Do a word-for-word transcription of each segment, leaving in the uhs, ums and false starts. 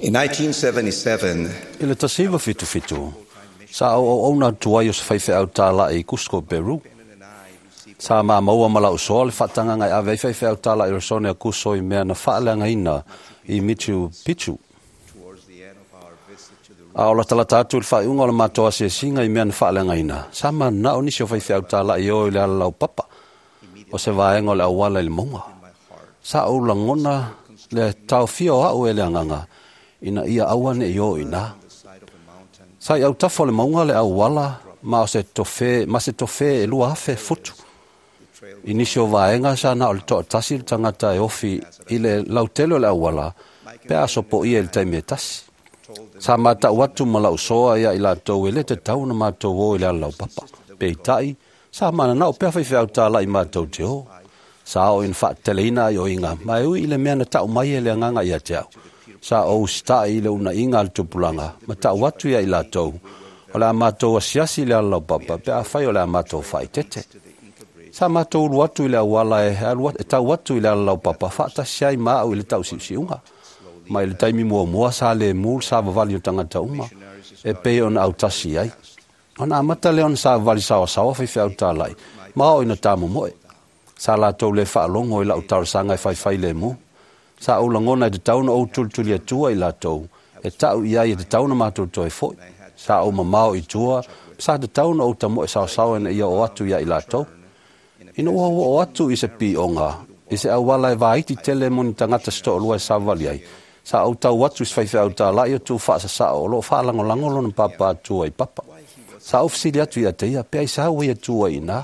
In nineteen seventy-seven, I le tasiva fitu fitu, sa au au au tuai o se faifeau tāla'i i Cusco, Peru. Sa ma maua ma lau soa le whaatanga ngai ave faifeau tāla'i rosone a Cusco i mea na whaaleangaina i Machu Picchu. A o latalata atu le whaiunga o le mātoa asiasinga i mea na whaaleangaina. Sa ma nao nisi o faifeau tāla'i o i le alalau papa o se vaenga o le awala i le maunga. Sa au langona le taofia o au e le anganga ina ia aua ne i o ina. Sa i au tafo le maunga le awala ma o se tofe, ma se tofe e lua afe futu. I nisi o vaenga sa na o le toa tasi le tangata e ofi i le lautele o le awala pe aso po ia i le taimi e tasi. Sa mātau atu ma lau soa ia i lātou e le te tau na mātou o i le alalau papa. Pe i tai, sa mananao pea whaiwhiau tālai mātou te o. Sa o ina whaateleina ai o inga, ma e ui i le mea na tau mai e le anganga ia te au. Sa o usita'i i le una inga le tupulanga, ma tau atu ia i lātou. O le a mātou asiasi le alalau papa, pe a whai o le a mātou whaitete. Sa mātou ulu atu i le awala e, e tau atu i le alalau papa, whaatasi ai maau i le tau siusiunga. Ma i le taimi mua mua sa le mul sa vavali o tangata uma, e pe ona au tasi ai. Ona amata le ona sa vavali sawa sawa whaiwhiau tālai, ma o ina tāmo moe. Sa lātou le whaalongo i lau tarasanga e whaiwhai le mu. Sa au langona i te tauna o tulituli atua i lātou, e tau ia i te tauna mātou toi foi. Sa au mamao i tua, sa te tauna o tamoe sawasawa ina ia o atu ia i lātou. Ina ua o atu i se pionga, i se awala e vaiti tele moni tangata sito olua e savali ai. Sa au tau atu i se whaiwhiau tālai o tū whaasasao o loo whaalangolango lona papa atua i papa. Sa au fisili atu ia te ia, pea i sa au ia tua i nā.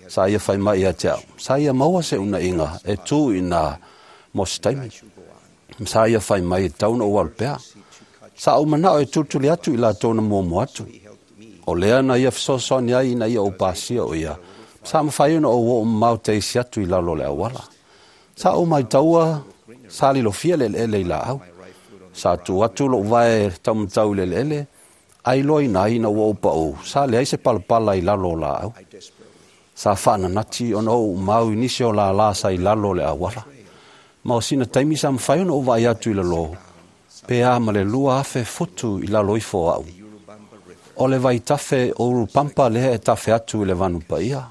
Sa ia whai mai ia te au. Sa ia maua se una inga e tū i nā mo se taimi. Sa ia whai mai e tauna o alu pea. Sa au manao e tutuli atu i la tōna muamu atu. O lea na ia whasoasoani ai ina ia o pasia o ia. Sa mawhai ona o o mau te isi atu i lalo le awala. Sa au mai taua, sa lilofia le ele i la au. Sa tu atu lo vae taumatau le ele, ai loa ina ina ua upa o, sa le ai se palapala i lalo o la au. Sa whaananati ona o mau i nisi o la la sa i lalo le awala. Ma o sina taimi sa mawhai ona o vai atu i lalo, pe a ma le lua afe futu i lalo ifo au. O le vai tafe o Urupampa lea e tafe atu i le vanu paia.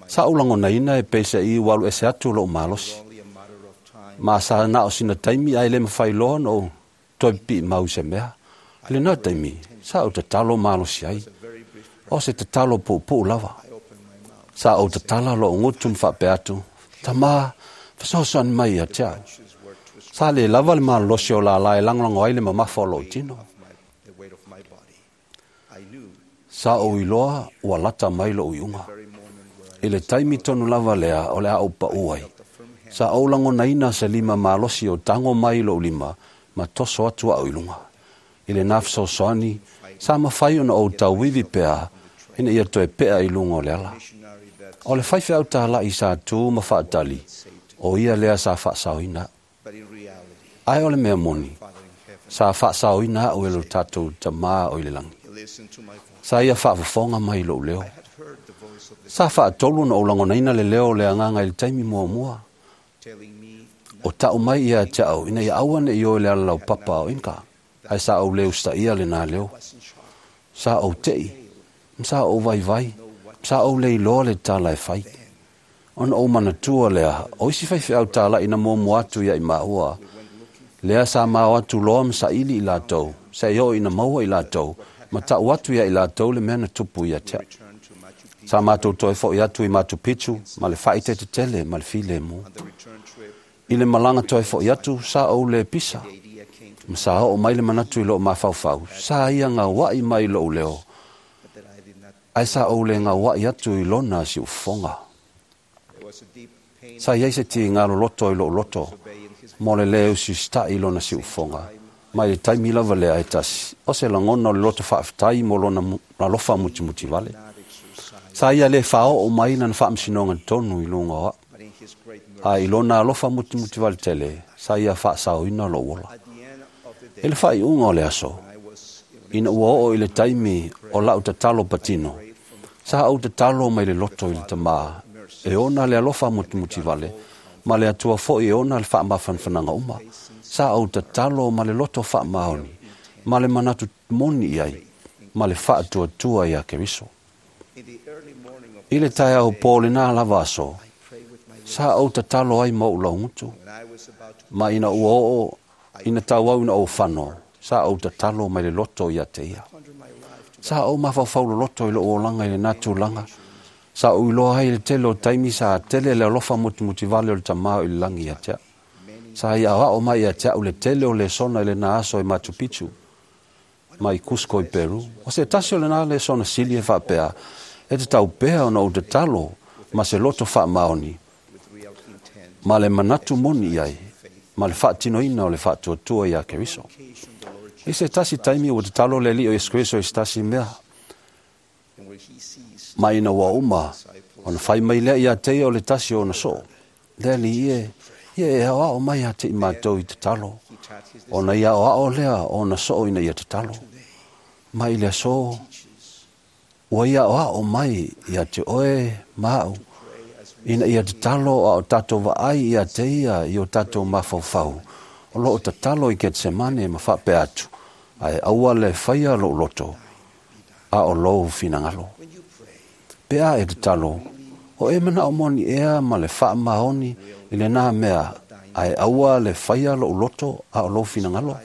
Sa ulangona ina e pese i walu ese atu lo malosi. Ma sa na o sina taimi ai le mawhai loa no toi pi mau se mea. Le nā taimi, sa o tatalo malosi ai. O se tatalo pupu lava. Sa o tatala lo ngutu mwhape atu. Tama, whasoasoani mai ia te au. Sa le lava le malosi o la la e langolango ai le mamafa o lo tino. Sa o iloa ua lata mai lo uiunga. I le taimi tonu lava lea o le au pa uai. Sa o langonaina se lima malosi o tango mai lo lima, ma toso atu au i lunga. I le nawhasoasoani, sa mawhai ona o tauwiwi pea, ina ia toe pea i lunga o le ala. O le whaiwhiau tālai sa tū ma whaatali, o ia lea sa whaasaoina. Ai o le mea moni, sa whaasaoina au e lo tātou tamā o i le langi. Sa ia whaafafonga mai lo leo. Sa whaatolu na o langonaina le leo le anganga i le taimi mua mua. O tau mai ia te au, ina ia aua ne i o le alalau papa o inka. Ai sa au leo sta ia le nā leo. Sa au tei, sa au vai vai, sa au le iloa le tāla e whai. Ona o manatua lea, o isi whaiwhi au tāla ina mua atu ia i maua. Lea sa mao atu loa ma ili i lātou, sa i o ina maua i lātou, ma tau atu ia i lātou le mea na tupu ia te. Sa mātou toi fo i atu i Machu Picchu, ma le whaite te tele, ma le file mu. I le malanga toi fo i atu, sa au le pisa. Ma sa o mai le manatu i lo mawhauwhau, sa ia ngā wai mai lo leo. Ai sa au le ngā wai atu i lona si ufonga. Sa iai se ti ngā loloto i lo loto, mo le leo si sta i lona si ufonga. Mai le taimi lava lea e tasi, o se langona o le loto whaaftai mo lona lalofa mutimuti vale. Sa ia le whao o mai na whaamsinonga tonu i lunga oa. A i lona alofa mutimuti vale tele, sa ia whaasao lo wola. E le whai unga o le aso, ina ua oo i le taimi o lau tatalo patino, sa au tatalo mai le loto i le tamā, e ona le alofa mutimuti vale, Ma le atua fo'i e ona le fa'amafanafanaga uma. Sa ou tatalo ma le loto fa'amaoni, ma le manatu moni i ai, ma le fa'atuatua iā Keriso. I le taeao pō lenā lava aso, sa ou tatalo ai ma o'u laugutu. Ma ina ua o'o ina tauau ina ou fano, sa ou tatalo mai le loto ia te ia. Sa ou mafaufau loloto i lo'u olaga i lenā tulaga. Sa ou iloa ai le tele o taimi sa tele le alofa mutumutivale o le tamā o i le lagi ia te a'u. Sa ia aoa'o mai ia te a'u le tele o lesona i lenā aso i Machu Picchu ma i Cusco i Peru. O se tasi o lenā lesona sili e fa'apea, e tatau pea ona ou tatalo ma se loto fa'amaoni, ma le manatu moni i ai, ma le fa'atinoina o le fa'atuatua iā Keriso. I se tasi taimi ua tatalo le Ali'i o Iesu Keriso i se tasi mea. Ma ina ua uma, ona fai mai lea ia te ia o le tasi o ona so'o. Le Alii e, ia e aoa'o mai ia te i matou i tatalo. Ona ia aoa'o lea o ona so'o ina ia tatalo. Ma i le aso, ua ia aoa'o mai ia te oe ma a'u, ina ia tatalo a o tatou va'ai ia te ia i o tatou mafaufau, o lo'o tatalo i Ketsemane ma fa'apea atu, ae aua le faia lo'u loto, a o lou finagalo. Pe a e tatalo, o e mana'o moni ea ma le fa'amaoni i lenā mea, ae aua le faia lo'u loto a o lou finagalo.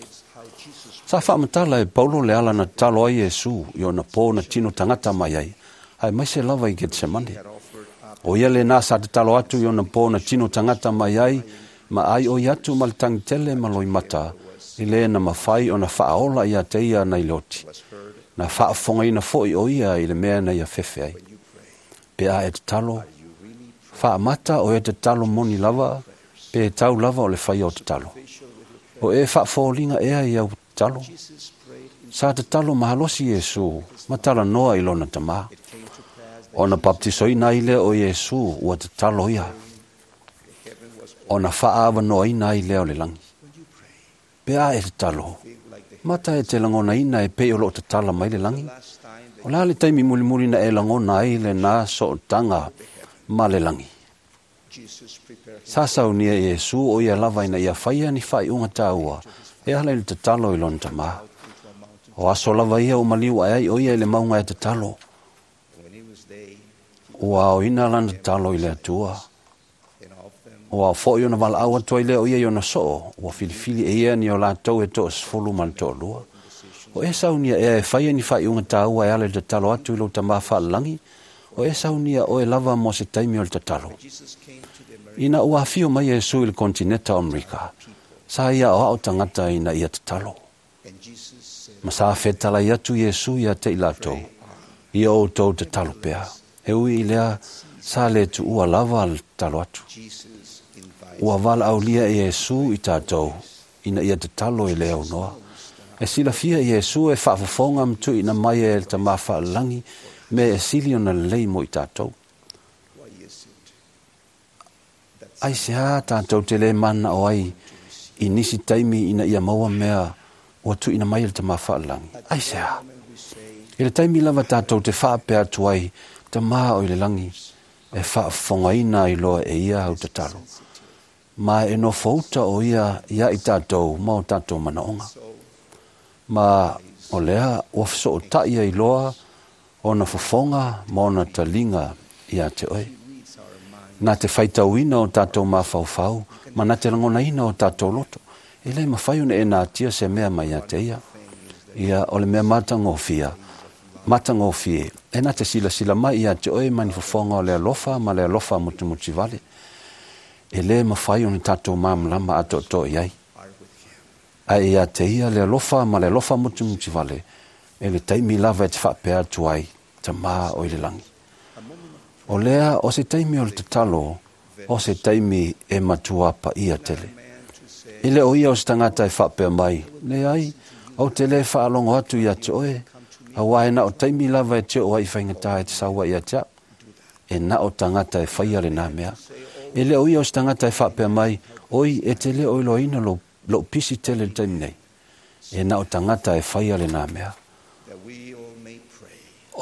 Sa fa'amatala e Paulo le ala na tatalo ai Iesu i ona pō na tino tagata mai ai, ae maise lava i Ketsemane. O ia lenā sa tatalo atu i ona pō na tino tagata mai ai, ma ai oi atu ma le tagitele ma loimata, i lē na mafai ona fa'aola ia te ia nai le oti. Na fa'afofogaina fo'i o ia i le mea na ia fefe ai. Pe a e tatalo, fa'amata o e tatalo moni lava, pe tau lava o le faia o tatalo. O e fa'afoliga ea i au tatalo. Sa tatalo malosi Iesu, ma talanoa i lona tamā. Ona baptisoina ai lea o Iesu ua tatalo ia. Ona fa'aavanoaina ai lea o le lagi. Pe a e tatalo, mata e te lagonaina e pei o lo'o tatala mai le lagi. O la le taimi mulimuli na e lagona ai lenā so'otaga ma le lagi. Sa saunia Iesu o ia lava ina ia faia ni fa'ai'uga tāua, e ala i le tatalo i lona tamā. O aso lava ia o maliu ae ai o ia i le mauga e tatalo. Ua aoina lana tatalo i le Atua. Ua ao fo'i ona vala'au atu ai lea o ia i ona so'o, ua filifili e ia ni o latou e to'asefulu ma le to'alua. O e saunia ea e faia ni fa'ai'uga tāua e ala i le tatalo atu i lou tamā fa'alalagi, o e saunia oe lava mo se taimi o le tatalo. Ina ua afio mai Iesu i le kontineta o Amerika, sa ia aoa'o tagata ina ia tatalo. Ma sa fetalai atu Iesu ia te i latou, ia outou tatalo pea. E ui i lea, sa le tu'ua lava le tatalo atu. Ua vala'aulia e Iesu i tatou, ina ia tatalo i le aunoa. E silafia Iesu e fa'afofoga ma tu'uina mai e le tamā fa'alalagi, mea e sili ona lelei mo i tatou. Ai se a tatou te lē mana'o ai i nisi taimi ina ia maua mea ua tu'uina mai e le tamā fa'alalagi. Ai se a. I le taimi lava tatou te fa'apea atu ai, tamā o i le lagi, e fa'afofogaina ai loa e ia au tatalo. Ma e nofouta o ia ia i tatou ma o tatou manaoga. Ma o lea ua feso'ota'i ai loa ona fofoga ma ona taliga ia te oe. Na te faitauina o tatou mafaufau, ma na te lagonaina o tatou loto. E lē mafai ona e natia se mea mai ia te ia. Ia o le mea matagofia, matagofie, e na te silasila mai ia te oe ma ni fofoga o le alofa ma le alofa mutumutivale. E lē mafai ona tatou malamalama atoatoa i ai. Ae ia te ia le alofa ma le alofa mutumutivale, e le taimi lava e te fa'apea atu ai, tamā o i le lagi. O lea o se taimi o le tatalo, o se taimi e matua pa'ia tele. E le o ia o se tagata e fa'apea mai, leai, ou te lē fa'alogo atu ia te oe, auā e na o taimi lava e te o'o ai i faigatā e te sau ai ia te a'u. E na o tagata e faia lenā mea. E le o ia o se tagata e fa'apea mai, oi e te lē o iloaina lou, lo'u pisi tele le taimi nei. E na o tagata e faia lenā mea.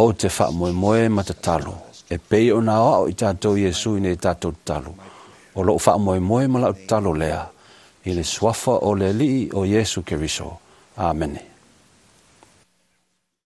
Ou te fa'amoemoe ma tatalo, e pei ona aoa'o i tatou Iesu ina ia tatou tatalo. O lou faamoemoe ma la'u tatalo lea i le suafa o le Alii o Iesu Keriso. Amene.